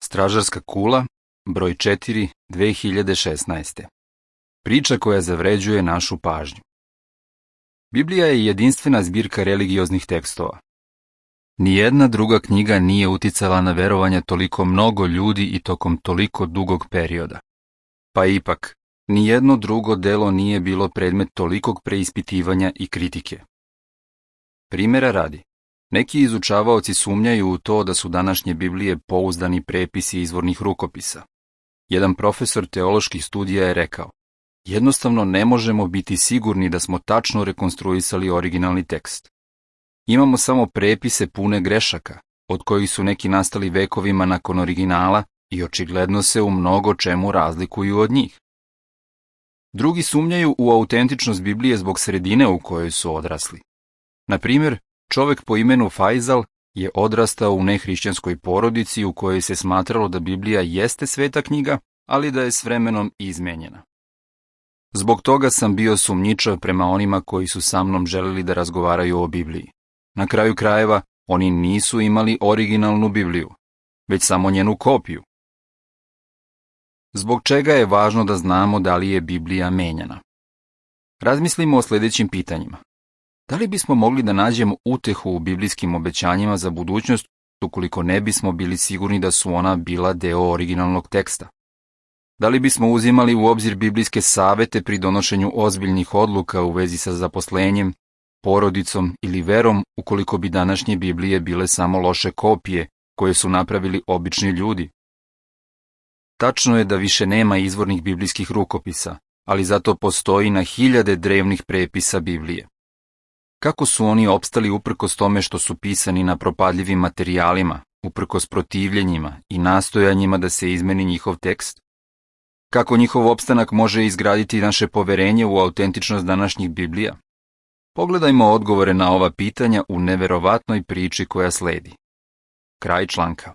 Stražarska kula, broj 4, 2016. Priča koja zavređuje našu pažnju. Biblija je jedinstvena zbirka religioznih tekstova. Nijedna druga knjiga nije uticala na verovanje toliko mnogo ljudi i tokom toliko dugog perioda. Pa ipak, nijedno drugo delo nije bilo predmet tolikog preispitivanja i kritike. Primera radi, neki izučavaoci sumnjaju u to da su današnje Biblije pouzdani prepisi izvornih rukopisa. Jedan profesor teoloških studija je rekao: jednostavno ne možemo biti sigurni da smo tačno rekonstruisali originalni tekst. Imamo samo prepise pune grešaka, od kojih su neki nastali vekovima nakon originala i očigledno se u mnogo čemu razlikuju od njih. Drugi sumnjaju u autentičnost Biblije zbog sredine u kojoj su odrasli. Na primjer, čovek po imenu Fajzal je odrastao u nehrišćanskoj porodici u kojoj se smatralo da Biblija jeste sveta knjiga, ali da je s vremenom izmenjena. Zbog toga sam bio sumnjičav prema onima koji su sa mnom želeli da razgovaraju o Bibliji. Na kraju krajeva, oni nisu imali originalnu Bibliju, već samo njenu kopiju. Zbog čega je važno da znamo da li je Biblija menjana? Razmislimo o sljedećim pitanjima. Da li bismo mogli da nađemo utehu u biblijskim obećanjima za budućnost ukoliko ne bismo bili sigurni da su ona bila deo originalnog teksta? Da li bismo uzimali u obzir biblijske savete pri donošenju ozbiljnih odluka u vezi sa zaposlenjem, porodicom ili verom ukoliko bi današnje Biblije bile samo loše kopije koje su napravili obični ljudi? Tačno je da više nema izvornih biblijskih rukopisa, ali zato postoji na hiljade drevnih prepisa Biblije. Kako su oni opstali uprkos tome što su pisani na propadljivim materijalima, uprkos protivljenjima i nastojanjima da se izmeni njihov tekst? Kako njihov opstanak može izgraditi naše poverenje u autentičnost današnjih Biblija? Pogledajmo odgovore na ova pitanja u neverovatnoj priči koja sledi. Kraj članka.